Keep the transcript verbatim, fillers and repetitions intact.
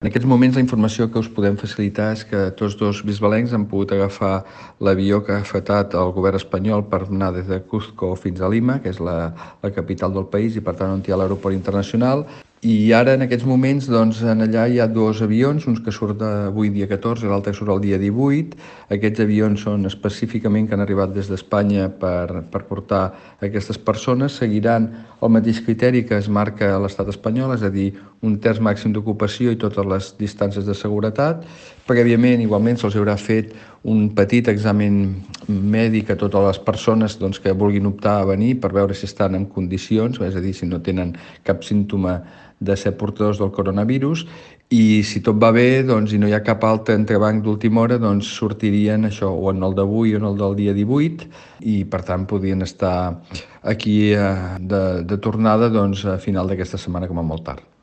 En aquests moments la informació que us podem facilitar és que tots dos bisbalencs han pogut agafar l'avió que ha afetat el govern espanyol per anar des de Cuzco fins a Lima, que és la, la capital del país i per tant on hi ha l'aeroport internacional. I ara en aquests moments doncs, en allà hi ha dos avions, uns que surt avui dia catorze i l'altre que surt el dia divuit. Aquests avions són específicament que han arribat des d'Espanya per, per portar aquestes persones. Seguiran el mateix criteri que es marca a l'estat espanyol, és a dir, un terç màxim d'ocupació i totes les distàncies de seguretat. Prèviament, igualment, se'ls haurà fet un petit examen mèdic a totes les persones doncs, que vulguin optar a venir per veure si estan en condicions, és a dir, si no tenen cap símptoma de ser portadors del coronavirus, i si tot va bé doncs, i no hi ha cap altre entrebanc d'última hora, doncs sortirien això o en el d'avui o en el del dia divuit i per tant podrien estar aquí eh, de, de tornada doncs, a final d'aquesta setmana com a molt tard.